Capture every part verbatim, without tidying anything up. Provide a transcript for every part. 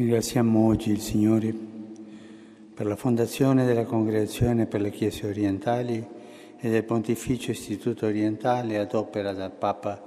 Ringraziamo oggi il Signore per la fondazione della Congregazione per le Chiese Orientali e del Pontificio Istituto Orientale ad opera dal Papa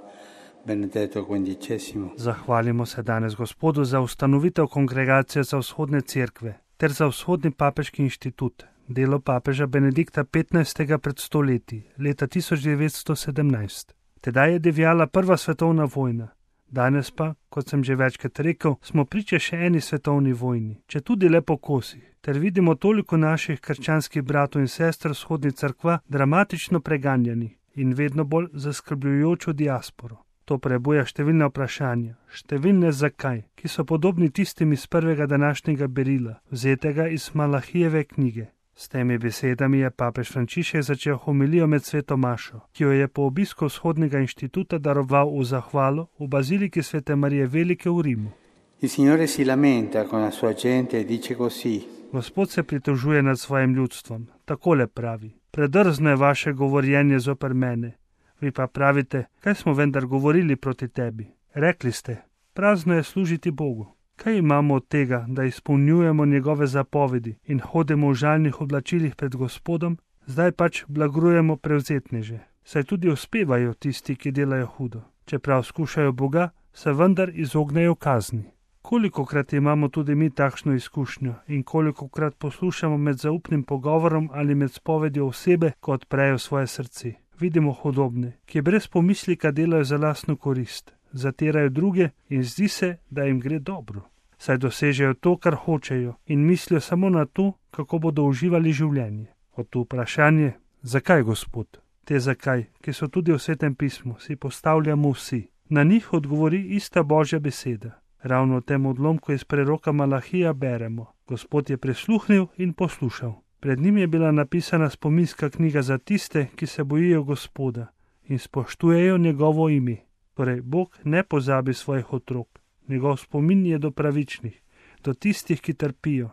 Benedetto quindicesimo. Zahvalimo se danes Gospodu za ustanovitev Kongregacije za vzhodne cerkve ter za vzhodni papeški inštitut, delo papeža Benedikta petnajstega pred sto leti, leta tisoč devetsto sedemnajst. Tedaj je divjala prva svetovna vojna. Danes pa, kot sem že večkrat rekel, smo priče še eni svetovni vojni, če tudi le po kosih, ter vidimo toliko naših krščanskih bratov in sester vzhodni cerkva dramatično preganjani in vedno bolj zaskrbljujočo diasporo. To prebuja številne vprašanja, številne zakaj, ki so podobni tistim iz prvega današnjega berila, vzetega iz Malahijeve knjige. S temi besedami je papež Frančišek začel homilijo med sveto mašo, ki jo je po obisku vzhodnega inštituta daroval v zahvalo v baziliki Svete Marije Velike v Rimu. Il Signore si lamenta con la sua gente e dice così. Gospod se pritožuje nad svojim ljudstvom, takole pravi: predrzno je vaše govorjenje zoper mene. Vi pa pravite, kaj smo vendar govorili proti tebi? Rekli ste, prazno je služiti Bogu. Kaj imamo od tega, da izpolnjujemo njegove zapovedi in hodimo v žalnih oblačilih pred Gospodom? Zdaj pač blagrujemo prevzetneže. Saj tudi uspevajo tisti, ki delajo hudo. Čeprav skušajo Boga, se vendar izognejo kazni. Kolikokrat imamo tudi mi takšno izkušnjo in kolikokrat poslušamo med zaupnim pogovorom ali med spovedjo osebe, ko odprejo svoje srce. Vidimo hudobne, ki brez pomislika delajo za lastno korist, zatirajo druge in zdi se, da jim gre dobro. Saj dosežejo to, kar hočejo in mislijo samo na to, kako bodo uživali življenje. Od tu vprašanje, zakaj Gospod? Te zakaj, ki so tudi v Svetem pismu, si postavljamo vsi. Na njih odgovori ista Božja beseda. Ravno v tem odlomku iz preroka Malahija beremo: Gospod je prisluhnil in poslušal. Pred njim je bila napisana spominska knjiga za tiste, ki se bojijo Gospoda in spoštujejo njegovo ime. Torej, Bog ne pozabi svojih otrok. Njegov spomin je do pravičnih, do tistih, ki trpijo,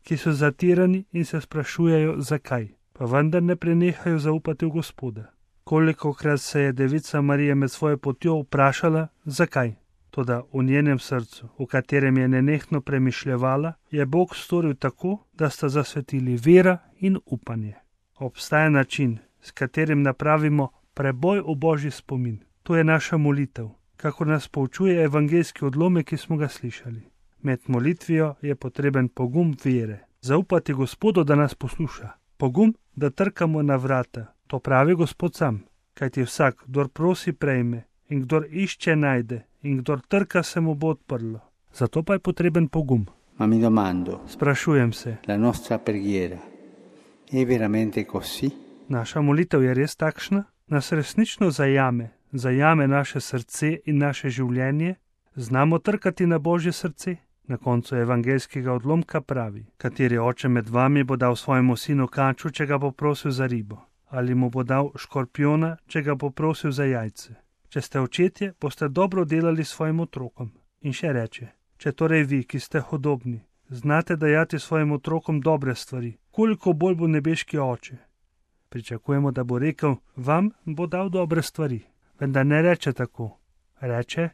ki so zatirani in se sprašujejo, zakaj, pa vendar ne prenehajo zaupati v Gospoda. Kolikokrat se je Devica Marija med svojo potjo vprašala, zakaj? Toda v njenem srcu, v katerem je nenehno premišljevala, je Bog storil tako, da sta zasvetili vera in upanje. Obstaja način, s katerim napravimo preboj v Božji spomin. To je naša molitev, kakor nas poučuje evangeljski odlomek, ki smo ga slišali. Med molitvijo je potreben pogum vere. Zaupati Gospodu, da nas posluša. Pogum, da trkamo na vrata. To pravi Gospod sam, kajti vsak, kdor prosi, prejme, in kdor išče, najde, in kdor trka, se mu bo odprlo. Zato pa je potreben pogum. Ma mi domando, Sprašujem se, la nostra preghiera è veramente così? Naša molitev je res takšna? Nas resnično zajame, zajame naše srce in naše življenje? Znamo trkati na Božje srce? Na koncu evangeljskega odlomka pravi: kateri oče med vami bo dal svojemu sinu kaču, če ga bo prosil za ribo? Ali mu bo dal škorpijona, če ga bo prosil za jajce? Če ste očetje, boste dobro delali svojim otrokom. In še reče: če torej vi, ki ste hudobni, znate dajati svojim otrokom dobre stvari, koliko bolj bo nebeški oče. Pričakujemo, da bo rekel: vam bo dal dobre stvari. Vendar ne reče tako. Reče: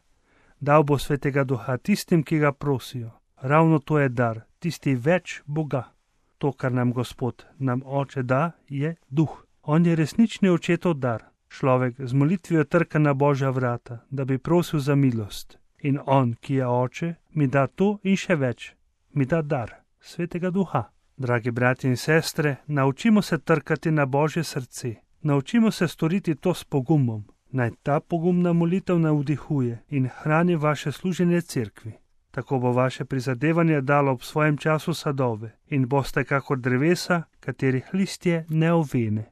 dal bo Svetega Duha tistim, ki ga prosijo. Ravno to je dar, tisti več Boga. To, kar nam Gospod, nam Oče da, je Duh. On je resnični očetov dar. Človek z molitvijo trka na Božja vrata, da bi prosil za milost. In on, ki je Oče, mi da to in še več. Mi da dar, Svetega Duha. Dragi bratje in sestre, naučimo se trkati na Božje srce. Naučimo se storiti to s pogumom. Naj ta pogumna molitev navdihuje in hrani vaše služenje cerkvi. Tako bo vaše prizadevanje dalo ob svojem času sadove in boste kakor drevesa, katerih listje ne ovene.